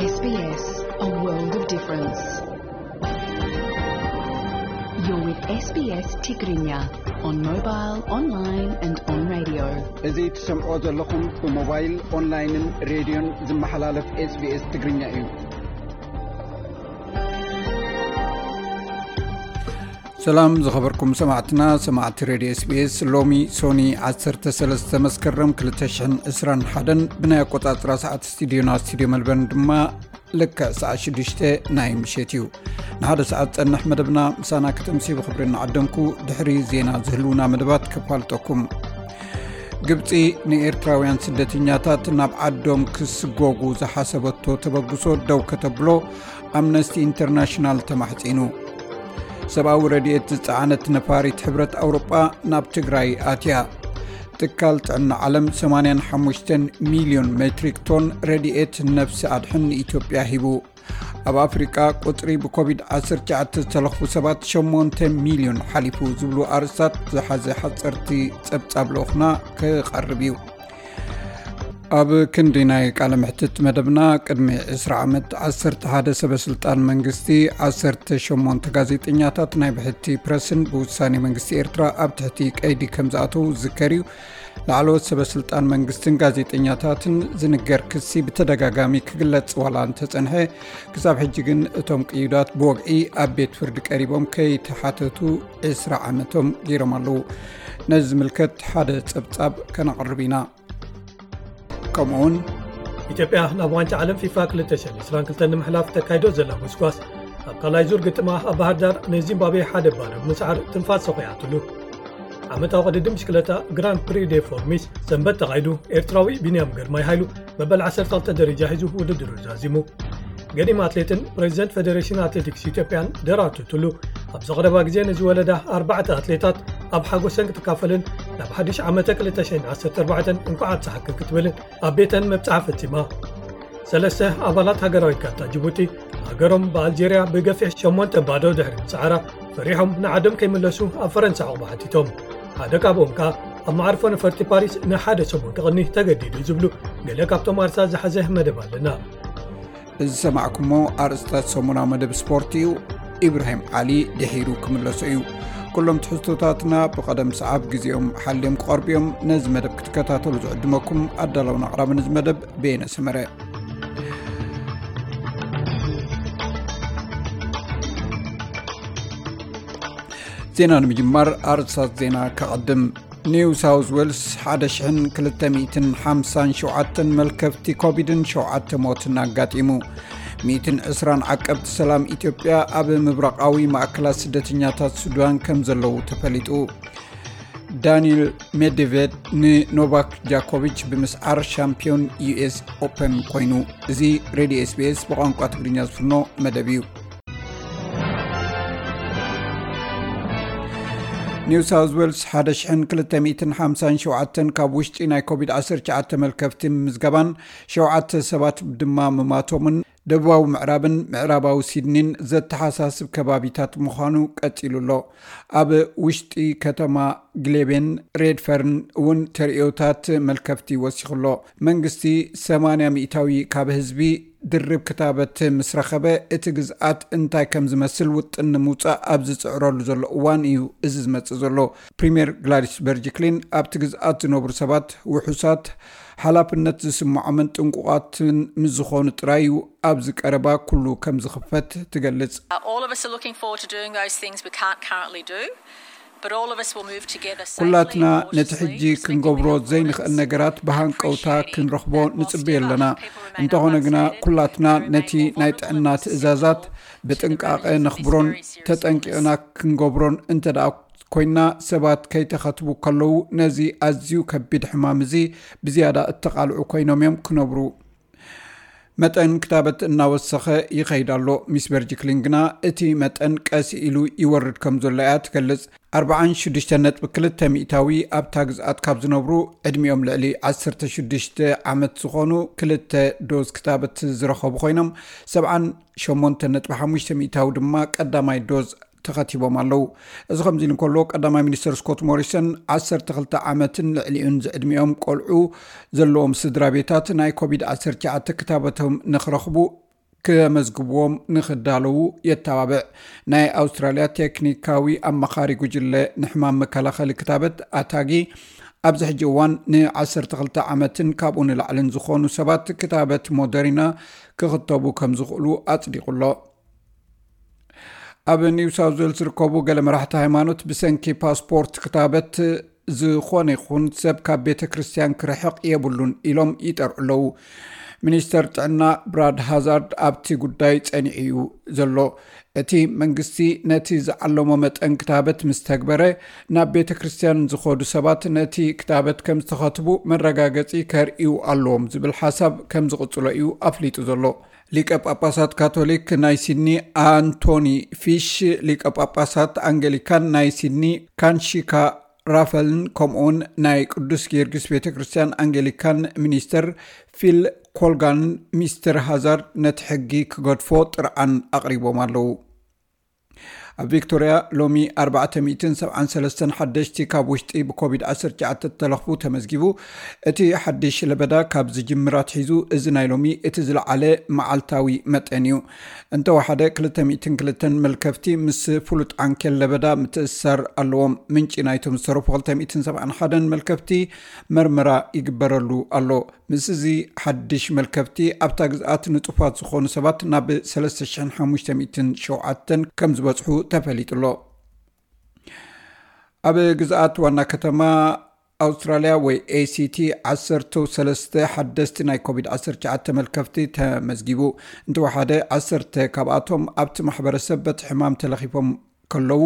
S B S, a world of difference. You're with S B S Tigrinya on mobile, online and on radio. እዚ ትሰምዖ ዘለኹም ብሞባይል፣ ኦንላይንን ሬድዮን ዝመሓላለፍ SBS ትግርኛ እዩ። ሰላም ዝኸበርኩም ሰማዕትና፣ ሰማዕቲ ሬድዮ SBS። ሎሚ ሶኒ ዓሰርተ ሰለስተ መስከረም ክልተ ሽሕን ዕስራን ሓደን ብናይ ኣቆጻጽራ ሰዓት ስቱዲዮና፣ ስቱዲዮ መልበርን ድማ ልክዕ ሰዓት ሽዱሽተ ናይ ምሸት እዩ። ንሓደ ሰዓት ጸንሕ መደብና ምሳና ክትምሲ ብኽብሪ እናዓደምኩ፣ ድሕሪ ዜና ዝህልውና መደባት ከፋልጠኩም። ግብጺ ንኤርትራውያን ስደተኛታት ናብ ዓዶም ክስጎጉ ዝሓሰበቶ ተበግሶ ደው ከተብሎ ኣምነስቲ ኢንተርናሽናል ተማሕጺኑ። ሰብኣዊ ረድኤት ዝጸዓነት ነፋሪት ሕብረት ኣውሮጳ ናብ ትግራይ ኣትያ። ትካል ጥዕና ዓለም ሰማንያን ሓሙሽተን ሚልዮን ሜትሪክ ቶን ረድኤት ነፍሲ ኣድሕን ንኢትዮጵያ ሂቡ። ኣብ ኣፍሪቃ ቁጽሪ ብኮቪድ ዓሰርተ ትሽዓተ ዝተለኽፉ ሰባት ሸሞንተ ሚልዮን ሓሊፉ ዝብሉ ኣርእስታት ዝሓዘ ሓጸርቲ ጸብጻብ ልኡኽና ክቐርብ እዩ። ኣብ ክንዲ ናይ ቃለ ምሕትት መደብና፣ ቅድሚ ዕስራ ዓመት ዓሰርተ ሓደ ሰበ ስልጣን መንግስቲ፣ ዓሰርተ ሸሞንተ ጋዜጠኛታት ናይ ብሕቲ ፕረስን ብውሳኔ መንግስቲ ኤርትራ ኣብ ትሕቲ ቀይዲ ከም ዝኣተዉ ዝዝከር እዩ። ላዕለዎት ሰበ ስልጣን መንግስትን ጋዜጠኛታትን ዝንገር ክሲ ብተደጋጋሚ ክግለጽ ዋላ እንተጸንሐ፣ ክሳብ ሕጂ ግን እቶም ቅዩዳት ብወግዒ ኣብ ቤት ፍርዲ ቀሪቦም ከይተሓተቱ ዕስራ ዓመቶም ገይሮም ኣለዉ። ነዚ ዝምልከት ሓደ ጸብጻብ ከነቕርብ ኢና። ከምኡውን ኢትዮጵያ ናብ ዋንጫ ዓለም ፊፋ ክልተ ሽሕን ዕስራን ክልተን ንምሕላፍ ተካይዶ ዘላ ጎስጓስ ኣብ ካልኣይ ዙር ግጥማ ኣብ ባህር ዳር ንዚምባብዌ ሓደ ባዶ ብምስዓር ትንፋስ ሰኺዓትሉ። ዓመታዊ ቅድድም ብሽክለታ ግራንድ ፕሪ ዴ ፎርሚስ ሰንበት ተኻይዱ፣ ኤርትራዊ ቢንያም ግርማይ ሃይሉ መበል ዓሰርተ ክልተ ደረጃ ሒዙ ውድድሩ ዛዚሙ። ገዲም ኣትሌትን ፕሬዚደንት ፌዴሬሽን ኣትሌቲክስ ኢትዮጵያን ደራርቱ ቱሉ፣ ኣብዚ ቀረባ ግዜ ንዝወለዳ ኣርባዕተ ኣትሌታት ኣብ ሓጎሰን ክትካፈልን ናብ ሓድሽ ዓመተ ክልተ ሽሕን ዓሰርተ ኣርባዕተን እንኳዕ ኣብፀሓክን ክትብልን ኣብ ቤተን መብፅዓ ፈፂማ። ሰለስተ ኣባላት ሃገራዊት ጋንታ ጅቡቲ፣ ሃገሮም ብኣልጄርያ ብገፊሕ ሸሞንተ ባዶ ድሕሪ ምፅዓራ፣ ፈሪሖም ንዓዶም ከይምለሱ ኣብ ፈረንሳ ዕቑባ ሓቲቶም። ሓደ ካብኦም ከኣ ኣብ መዓርፎ ነፈርቲ ፓሪስ ንሓደ ሰሙን ክቕኒ ተገዲዱ ዝብሉ ገለ ካብቶም ኣርሳ ዝሓዘ መደብ ኣለና። እዚ ዝሰማዕኩሞ ኣርእስታት ሰሙናዊ መደብ ስፖርት እዩ። ኢብራሂም ዓሊ ድሒሩ ክምለሶ እዩ። ኩሎም ትሕዝቶታትና ብቐደም ሰዓብ ግዜኦም ሓልዮም ክቐርቡ እዮም። ነዚ መደብ ክትከታተሉ ዝዕድመኩም ኣዳላውን ኣቕራብን እዚ መደብ በየነ ሰመረ። ዜና ንምጅማር ኣርእስታት ዜና ከቐድም። ኒው ሳውዝ ዌልስ ሓደ ሽሕን ክልተ ሚእትን ሓምሳን ሸውዓተን መልከፍቲ ኮቪድን ሸውዓተ ሞትን ኣጋጢሙ። ሚእትን ዕስራን ዓቀብቲ ሰላም ኢትዮጵያ ኣብ ምብራቓዊ ማእከላት ስደተኛታት ሱዳን ከም ዘለዉ ተፈሊጡ። ዳኒል ሜድቬድ ንኖቫክ ጃኮቪች ብምስዓር ሻምፒዮን ዩ ኤስ ኦፐን ኮይኑ። እዚ ሬድዮ ኤስ ቢ ኤስ ብቋንቋ ትግርኛ ዝፍኖ መደብ እዩ። ኒው ሳውዝ ዌልስ ሓደ ሽሕን ክልተ ሚእትን ሓምሳን ሸውዓተን ካብ ውሽጢ ናይ ኮቪድ ዓሰርተ ትሽዓተ መልከፍቲ ምምዝጋባን ሸውዓተ ሰባት ድማ ምማቶምን ደቡባዊ ምዕራብን ምዕራባዊ ሲድኒን ዘተሓሳስብ ከባቢታት ምዃኑ ቀጺሉ ኣሎ። ኣብ ውሽጢ ከተማ ግሌቤን ሬድፈርን እውን ተርእዮታት መልከፍቲ ወሲኹ ኣሎ። መንግስቲ ሰማንያ ሚእታዊ ካብ ህዝቢ ድርብ ክታበት ምስ ረኸበ፣ እቲ ግዝኣት እንታይ ከም ዝመስል ውጥን ንምውጻእ ኣብ ዝጽዕረሉ ዘሎ እዋን እዩ እዚ ዝመጽእ ዘሎ። ፕሪምየር ግላዲስ በርጅክሊን ኣብቲ ግዝኣት ዝነብሩ ሰባት ውሑሳት፣ ሓላፍነት ዝስምዖምን ጥንቁቓትን ምስ ዝኾኑ ጥራይ እዩ ኣብዚ ቀረባ ኩሉ ከም ዝኽፈት ትገልጽ። Uh, all of us are looking forward to doing those things we can't currently do, but all of us will move together safely ኩላትና and ነቲ ሕጂ cautiously as we can ክንገብሮ be ዘይንኽእል optimistic ነገራት ብሃንቀውታ and appreciating ክንረኽቦ that whilst ንጽበዮ ever ኣለና። people remain እንተኾነ ግና unvaccinated, ኩላትና there remain ነቲ more ናይ vulnerable ጥዕና to ትእዛዛት symptoms, ብጥንቃቐ the virus is ነኽብሮን very serious ተጠንቂቕና illness. ክንገብሮን እንተ ደኣ ኮይና፣ ሰባት ከይተኸትቡ ከለዉ ነዚ ኣዝዩ ከቢድ ሕማም እዚ ብዝያዳ እተቓልዑ ኮይኖም እዮም ክነብሩ። መጠን ክታበት እናወሰኸ ይኸይድ ኣሎ። ሚስ በርጅክሊን ግና እቲ መጠን ቀስ ኢሉ ይወርድ ከም ዘሎ እያ ትገልጽ። ኣርባዓን ሽዱሽተን ነጥቢ ክልተ ሚእታዊ ኣብታ ግዝኣት ካብ ዝነብሩ ዕድሚኦም ልዕሊ ዓሰርተ ሽዱሽተ ዓመት ዝኾኑ ክልተ ዶዝ ክታበት ዝረኸቡ ኮይኖም፣ ሰብዓን ሸሞንተ ነጥቢ ሓሙሽተ ሚእታዊ ድማ ቀዳማይ ዶዝ ተኸቲቦም ኣለዉ። እዚ ከምዚ ኢሉ እንከሎ፣ ቀዳማይ ሚኒስተር ስኮት ሞሪሰን ዓሰርተ ክልተ ዓመትን ልዕሊኡን ዝዕድሚኦም ቆልዑ ዘለዎም ስድራ ቤታት ናይ ኮቪድ ዓሰርተ ትሽዓተ ክታበቶም ንኽረኽቡ ከመዝግብዎም ንኽዳለዉ የተባብዕ። ናይ ኣውስትራልያ ቴክኒካዊ ኣማኻሪ ጉጅለ ንሕማም መከላኸሊ ክታበት ኣታጊ ኣብዚ ሕጂ እዋን ን12 ዓመትን ካብኡ ንላዕልን ዝኾኑ ሰባት ክታበት ሞደሪና ክኽተቡ ከም ዝኽእሉ ኣጽዲቑ ኣሎ። ኣብ ኒው ሳውዝ ዌልስ ዝርከቡ ገለ መራሕቲ ሃይማኖት ብሰንኪ ፓስፖርት ክታበት ዝኾነ ይኹን ሰብ ካብ ቤተ ክርስቲያን ክርሕቕ የብሉን ኢሎም ይጠርዑ ኣለዉ። ሚኒስተር ጥዕና ብራድ ሃዛርድ ኣብቲ ጉዳይ ጸኒዑ እዩ ዘሎ። እቲ መንግስቲ ነቲ ዝዓለሞ መጠን ክታበት ምስ ተግበረ፣ ናብ ቤተ ክርስቲያን ዝኸዱ ሰባት ነቲ ክታበት ከም ዝተኸትቡ መረጋገጺ ከርእዩ ኣለዎም ዝብል ሓሳብ ከም ዝቕጽሎ እዩ ኣፍሊጡ ዘሎ። ሊቀ ጳጳሳት ካቶሊክ ናይ ሲድኒ ኣንቶኒ ፊሽ፣ ሊቀ ጳጳሳት ኣንገሊካን ናይ ሲድኒ ካንሺካ ራፈልን ከምኡውን ናይ ቅዱስ ጊዮርጊስ ቤተ ክርስቲያን ኣንገሊካን ሚኒስተር ፊል ኮልጋንን ሚስተር ሃዛርድ ነቲ ሕጊ ክገድፎ ጥርዓን ኣቕሪቦም ኣለዉ። ኣብ ቪክቶርያ ሎሚ 473 ሓደሽቲ ካብ ውሽጢ ብኮቪድ-19 ተለኽፉ ተመዝጊቡ። እቲ ሓድሽ ለበዳ ካብ ዝጅምር ኣትሒዙ እዚ ናይ ሎሚ እቲ ዝለዓለ መዓልታዊ መጠን እዩ። እንተወሓደ 202 መልከፍቲ ምስ ፍሉጥ ዓንኬል ለበዳ ምትእስሳር ኣለዎም። ምንጪ ናይቶም ዝተረፉ 271 መልከፍቲ መርመራ ይግበረሉ ኣሎ። ምስ እዚ ሓድሽ መልከፍቲ ኣብታ ግዝኣት ንጡፋት ዝኾኑ ሰባት ናብ 3,507 ከም ዝበጽሑ ተፈሊጡ ኣሎ። ኣብ ግዝኣት ዋና ከተማ ኣውስትራልያ ወይ ኤሲቲ 13 ሓደስቲ ናይ ኮቪድ-19 መልከፍቲ ተመዝጊቡ። እንተወሓደ 10 ካብኣቶም ኣብቲ ማሕበረሰብ በቲ ሕማም ተለኺፎም ከለዉ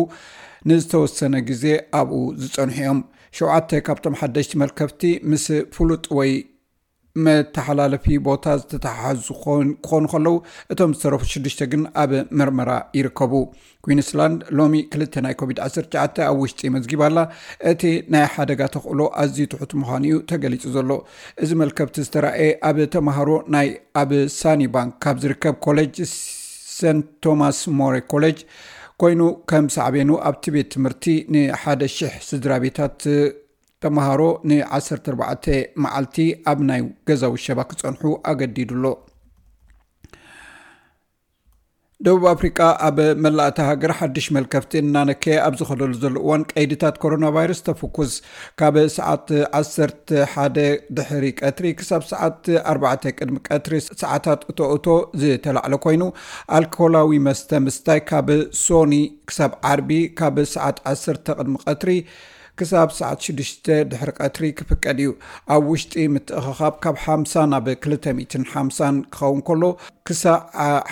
ንዝተወሰነ ግዜ ኣብኡ ዝጸንሑ እዮም። ሸውዓተ ካብቶም ሓደሽቲ መልከፍቲ ምስ ፍሉጥ ወይ መተሓላለፊ ቦታ ዝተተሓሓዙ ክኾን- ክኾኑ ከለዉ፣ እቶም ዝተረፉ ሽዱሽተ ግን ኣብ መርመራ ይርከቡ። ኩዊንስላንድ ሎሚ ክልተ ናይ ኮቪድ-19 ኣብ ውሽጢ መዝጊባ ኣላ። እቲ ናይ ሓደጋ ተኽእሎ ኣዝዩ ትሑት ምዃኑ እዩ ተገሊጹ ዘሎ። እዚ መልከፍቲ ዝተራእየ ኣብ ተምሃሮ ናይ ኣብ ሳኒ ባንክ ካብ ዝርከብ ኮሌጅ ሰንት ቶማስ ሞሬ ኮሌጅ ኮይኑ፣ ከም ሳዕቤኑ ኣብቲ ቤት ትምህርቲ ንሓደ ሽሕ ስድራ ቤታት ተምሃሮ ን14 መዓልቲ ኣብ ናይ ገዛ ውሸባ ክጸንሑ ኣገዲዱ ኣሎ። ደቡብ ኣፍሪቃ ኣብ መላእ እታ ሃገር ሓድሽ መልከፍቲ እናነከየ ኣብ ዝኸደሉ ዘሎ እዋን፣ ቀይድታት ኮሮና ቫይረስ ተፍኩስ። ካብ ሰዓት 11 ድሕሪ ቀትሪ ክሳብ ሰዓት 4 ቅድሚ ቀትሪ ሰዓታት እቶ እቶ ዝተላዕለ ኮይኑ፣ ኣልኮላዊ መስተ ምስታይ ካብ ሶኒ ክሳብ ዓርቢ ካብ ሰዓት 10 ቅድሚ ቀትሪ ክሳብ ሰዓት 6 ድሕሪ ቀትሪ ክፍቀድ እዩ። ኣብ ውሽጢ ምትእኽኻብ ካብ 50 ናብ 250 ክኸውን ከሎ፣ ክሳዕ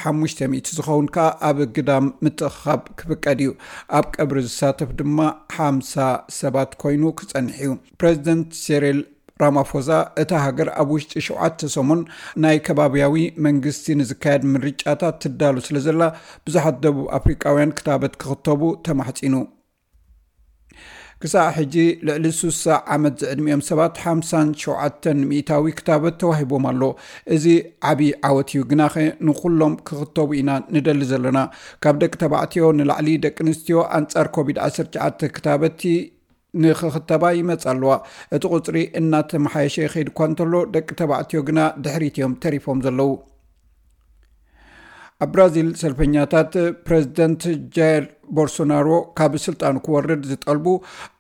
500 ዝኸውን ከኣ ኣብ ግዳም ምትእኽኻብ ክፍቀድ እዩ። ኣብ ቀብሪ ዝሳተፍ ድማ 50 ሰባት ኮይኑ ክጸንሕ እዩ። ፕሬዚደንት ሴሪል ራማፎዛ፣ እታ ሃገር ኣብ ውሽጢ ሸውዓተ ሰሙን ናይ ከባብያዊ መንግስቲ ንዝካየድ ምርጫታት ትዳሉ ስለ ዘላ፣ ብዙሓት ደቡብ ኣፍሪቃውያን ክታበት ክኽተቡ ተማሕጺኑ። ክሳዕ ሕጂ ልዕሊ 60 ዓመት ዝዕድሚኦም ሰባት 57% ክታበት ተዋሂቦም ኣሎ። እዚ ዓቢ ዓወት እዩ፣ ግናኸ ንኹሎም ክኽተቡ ኢና ንደሊ ዘለና። ካብ ደቂ ተባዕትዮ ንላዕሊ ደቂ ኣንስትዮ ኣንጻር ኮቪድ-19 ክታበቲ ንኽኽተባ ይመጻ ኣለዋ። እቲ ቁጽሪ እናተመሓየሸ ይኸይድ እኳ እንተሎ፣ ደቂ ተባዕትዮ ግና ድሕሪት እዮም ተሪፎም ዘለዉ። ኣብ ብራዚል ሰልፈኛታት ፕሬዚደንት ጃይር ቦልሶናሮ ካብ ስልጣኑ ክወርድ ዝጠልቡ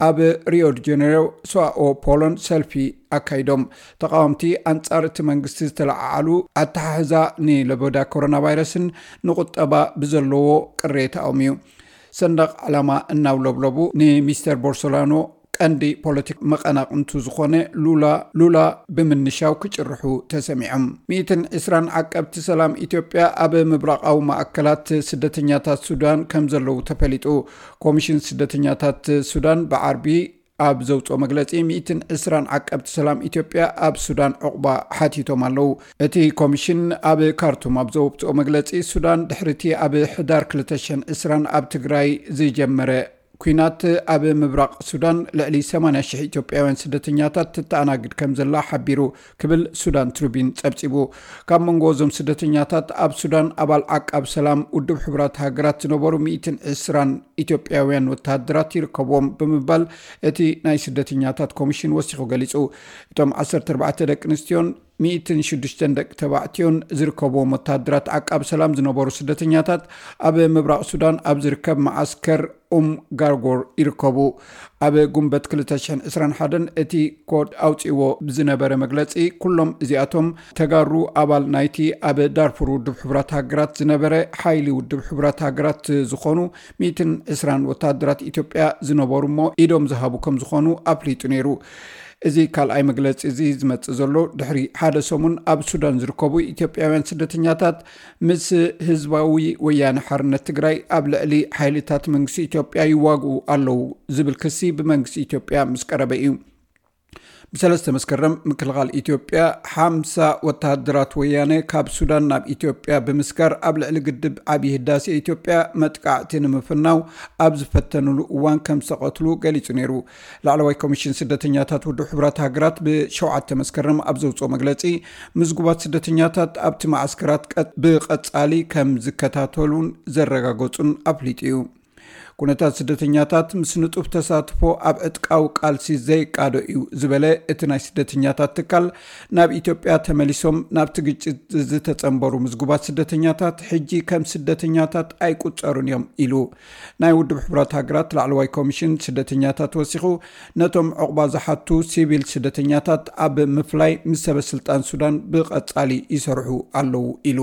ኣብ ሪዮ ዲ ጀኔሮ ሳኦ ፖሎን ሰልፊ ኣካይዶም። ተቃወምቲ ኣንጻር እቲ መንግስቲ ዝተለዓዓሉ ኣተሓሕዛ ንለበዳ ኮሮና ቫይረስን ንቁጠባ ብዘለዎ ቅሬታኦም እዩ። ሰንደቕ ዕላማ እናውለብለቡ ንሚስተር ቦልሶናሮ ቀንዲ ፖለቲክ መቐናቕንቱ ዝኾነ ሉላ ሉላ ብምንሻው ክጭርሑ ተሰሚዖም። 120 ዓቀብቲ ሰላም ኢትዮጵያ ኣብ ምብራቓዊ ማእከላት ስደተኛታት ሱዳን ከም ዘለዉ ተፈሊጡ። ኮሚሽን ስደተኛታት ሱዳን ብዓርቢ ኣብ ዘውፅኦ መግለፂ፣ 120 ዓቀብቲ ሰላም ኢትዮጵያ ኣብ ሱዳን ዕቑባ ሓቲቶም ኣለዉ። እቲ ኮሚሽን ኣብ ካርቱም ኣብ ዘውፅኦ መግለፂ፣ ሱዳን ድሕሪቲ ኣብ ሕዳር 2020 ኣብ ትግራይ ዝጀመረ ኲናት ኣብ ምብራቕ ሱዳን ልዕሊ 80,000 ኢትዮጵያውያን ስደተኛታት ትተኣናግድ ከም ዘላ ሓቢሩ ክብል ሱዳን ትሪቢን ጸብጺቡ። ካብ መንጎ እዞም ስደተኛታት ኣብ ሱዳን ኣባል ዓቃብ ሰላም ውድብ ሕቡራት ሃገራት ዝነበሩ 120 ኢትዮጵያውያን ወተሃደራት ይርከብዎም ብምባል እቲ ናይ ስደተኛታት ኮሚሽን ወሲኹ ገሊጹ። እቶም 14 ደቂ ኣንስትዮን ሚእትን ሽዱሽተን ደቂ ተባዕትዮን ዝርከብዎም ወተሃደራት ዓቃብ ሰላም ዝነበሩ ስደተኛታት ኣብ ምብራቕ ሱዳን ኣብ ዝርከብ መዓስከር ኡም ጋርጎር ይርከቡ። ኣብ ጉንበት ክልተ ሽሕን ዕስራን ሓደን እቲ ኮድ ኣውጺዎ ብዝነበረ መግለጺ፣ ኩሎም እዚኣቶም ተጋሩ ኣባል ናይቲ ኣብ ዳርፉር ውድብ ሕቡራት ሃገራት ዝነበረ ሓይሊ ውድብ ሕቡራት ሃገራት ዝኾኑ ሚእትን ዕስራን ወተሃደራት ኢትዮጵያ ዝነበሩ እሞ ኢዶም ዝሃቡ ከም ዝኾኑ ኣፍሊጡ ነይሩ። እዚ ካልኣይ መግለጺ እዚ ዝመጽእ ዘሎ ድሕሪ ሓደ ሰሙን ኣብ ሱዳን ዝርከቡ ኢትዮጵያውያን ስደተኛታት ምስ ህዝባዊ ወያነ ሓርነት ትግራይ ኣብ ልዕሊ ሓይልታት መንግስቲ ኢትዮጵያ ይዋግኡ ኣለዉ ዝብል ክሲ ብመንግስቲ ኢትዮጵያ ምስ ቀረበ እዩ። ብሰለስተ መስከረም ምክልኻል ኢትዮጵያ ሓምሳ ወተሃደራት ወያነ ካብ ሱዳን ናብ ኢትዮጵያ ብምስጋር ኣብ ልዕሊ ግድብ ዓብዪ ህዳሴ ኢትዮጵያ መጥቃዕቲ ንምፍናው ኣብ ዝፈተኑሉ እዋን ከም ዝተቐትሉ ገሊጹ ነይሩ። ላዕለዋይ ኮሚሽን ስደተኛታት ውድብ ሕቡራት ሃገራት ብሸውዓተ መስከረም ኣብ ዘውፅኦ መግለፂ፣ ምዝጉባት ስደተኛታት ኣብቲ ማዓስከራት ቀ-፣ ብቐፃሊ ከም ዝከታተሉን ዘረጋገፁን ኣፍሊጡ እዩ። ኩነታት ስደተኛታት ምስ ንጡፍ ተሳትፎ ኣብ ዕጥቃዊ ቃልሲ ዘይቃዶ እዩ ዝበለ እቲ ናይ ስደተኛታት ትካል፣ ናብ ኢትዮጵያ ተመሊሶም ናብቲ ግጭት ዝተጸንበሩ ምዝጉባት ስደተኛታት ሕጂ ከም ስደተኛታት ኣይቁጸሩን እዮም ኢሉ። ናይ ውድብ ሕቡራት ሃገራት ላዕለዋይ ኮሚሽን ስደተኛታት ወሲኹ፣ ነቶም ዕቑባ ዝሓቱ ሲቪል ስደተኛታት ኣብ ምፍላይ ምስ ሰበ ስልጣን ሱዳን ብቐጻሊ ይሰርሑ ኣለዉ ኢሉ።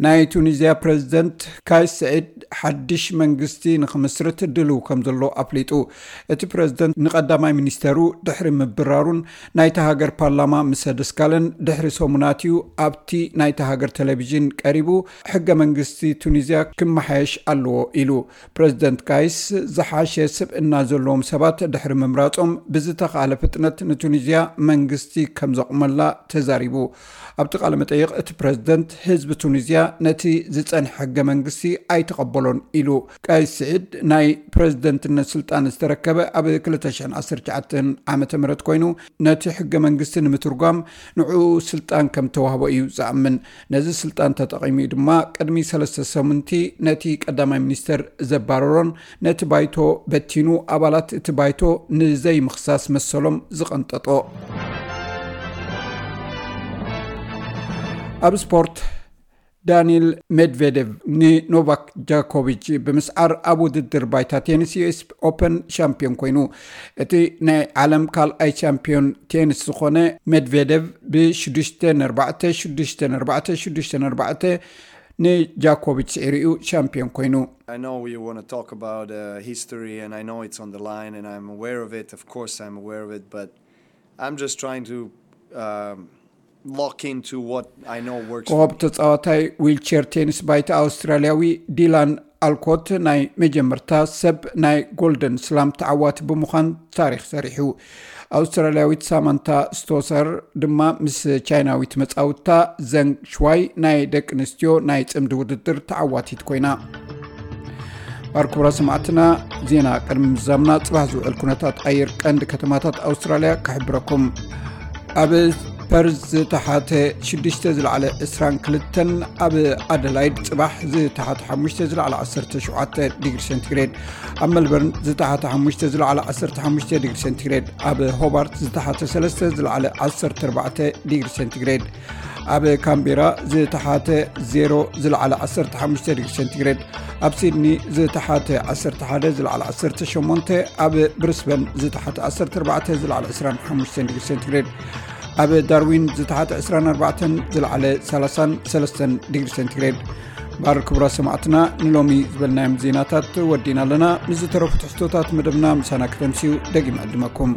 ናይ ቱኒዝያ ፕረዚደንት ካይስ ስዒድ ሓድሽ መንግስቲ ንኽምስርት ድልው ከም ዘሎ ኣፍሊጡ። እቲ ፕረዚደንት ንቐዳማይ ሚኒስተሩ ድሕሪ ምብራሩን ናይታ ሃገር ፓርላማ ምስ ኣደስካለን ድሕሪ ሰሙናት እዩ ኣብቲ ናይታ ሃገር ቴሌቪዥን ቀሪቡ፣ ሕገ መንግስቲ ቱኒዝያ ክመሓየሽ ኣለዎ ኢሉ። ፕረዚደንት ካይስ ዝሓሸ ስብእና ዘለዎም ሰባት ድሕሪ ምምራጾም ብዝተኻእለ ፍጥነት ንቱኒዝያ መንግስቲ ከም ዘቑመላ ተዛሪቡ። ኣብቲ ቃለ መጠይቕ እቲ ፕረዚደንት ህዝቢ ቱኒዝያ ነቲ ዝጸንሐ ሕገ መንግስቲ ኣይተቐበሎን ኢሉ። ቀይስ ስዒድ ናይ ፕረዚደንትነት ስልጣን ዝተረከበ ኣብ ክልተ ሽሕን ዓሰርተ ትሽዓተን ዓመተ ምህረት ኮይኑ፣ ነቲ ሕገ መንግስቲ ንምትርጓም ንዕኡ ስልጣን ከም ተዋህቦ እዩ ዝኣምን። ነዚ ስልጣን ተጠቒሙ እዩ ድማ ቅድሚ ሰለስተ ሰሙንቲ ነቲ ቀዳማይ ሚኒስተር ዘባረሮን ነቲ ባይቶ በቲኑ ኣባላት እቲ ባይቶ ንዘይምኽሳስ መሰሎም ዝቐንጠጦ። ኣብ ስፖርት፣ ዳኒል ሜድቬዴቭ ንኖቫክ ጃኮቪች ብምስዓር ኣብ ውድድር ባይታ ቴኒስ ዩ ኤስ ኦፐን ሻምፒዮን ኮይኑ። እቲ ናይ ዓለም ካልኣይ ሻምፒዮን ቴኒስ ዝኾነ ሜድቬዴቭ ብ ሽዱሽተ ነርባዕተ፣ ሽዱሽተ ነርባዕተ፣ ሽዱሽተ ነርባዕተ ንጃኮቪች ስዒሩ እዩ ሻምፒዮን ኮይኑ። I know you want to talk about uh, history, and I know it's on the line, and I'm aware of it. Of course, I'm aware of it, but I'm just trying to um, lock into what I know works. ኮኸብ ተጻዋታይ ዊልቸር ቴኒስ ባይታ ኣውስትራልያዊ ዲላን ኣልኮት ናይ መጀመርታ ሰብ ናይ ጎልደን ስላም ተዓዋቲ ብምዃን ታሪኽ ሰሪሑ። ኣውስትራልያዊት ሳማንታ ስቶሰር ድማ ምስ ቻይናዊት መጻውታ ዘንግ ሽዋይ ናይ ደቂ ኣንስትዮ ናይ ጽምዲ ውድድር ተዓዋቲት ኮይና። ባር ክቡራ ሰማዕትና፣ ዜና ቅድሚ ምዛምና ጽባሕ ዝውዕል ኩነታት ኣየር ቀንዲ ከተማታት ኣውስትራልያ ክሕብረኩም። ኣብ ፐርዝ ዝተሓተ ሽዱሽተ ዝለዓለ ዕስራን ክልተን፣ ኣብ ኣደላይድ ጽባሕ ዝተሓተ ሓሙሽተ ዝለዓለ ዓሰርተ ሸውዓተ ዲግሪ ሴንቲግሬድ፣ ኣብ መልበርን ዝተሓተ ሓሙሽተ ዝለዓለ ዓሰርተ ሓሙሽተ ዲግሪ ሴንቲግሬድ፣ ኣብ ሆባርት ዝተሓተ ሰለስተ ዝለዓለ ዓሰርተ ኣርባዕተ ዲግሪ ሴንቲግሬድ፣ ኣብ ካምቤራ ዝተሓተ ዜሮ ዝለዓለ ዓሰርተ ሓሙሽተ ዲግሪ ሴንቲግሬድ፣ ኣብ ሲድኒ ዝተሓተ ዓሰርተ ሓደ ዝለዓለ ዓሰርተ ሸሞንተ፣ ኣብ ብሪስበን ዝተሓተ ዓሰርተ ኣርባዕተ ዝለዓለ ዕስራን ሓሙሽተን ዲግሪ ሴንቲግሬድ፣ ኣብ ዳርዊን ዝተሓተ ዕስራን ኣርባዕተን ዝለዓለ ሰላሳን ሰለስተን ዲግሪ ሴንቲግሬድ። ባር ክቡራት ሰማዕትና፣ ንሎሚ ዝበልናዮም ዜናታት ወዲና ኣለና። ምስ ዝተረፉ ትሕዝቶታት መደብና ምሳና ከተምስዩ ደጊም ዕድመኩም።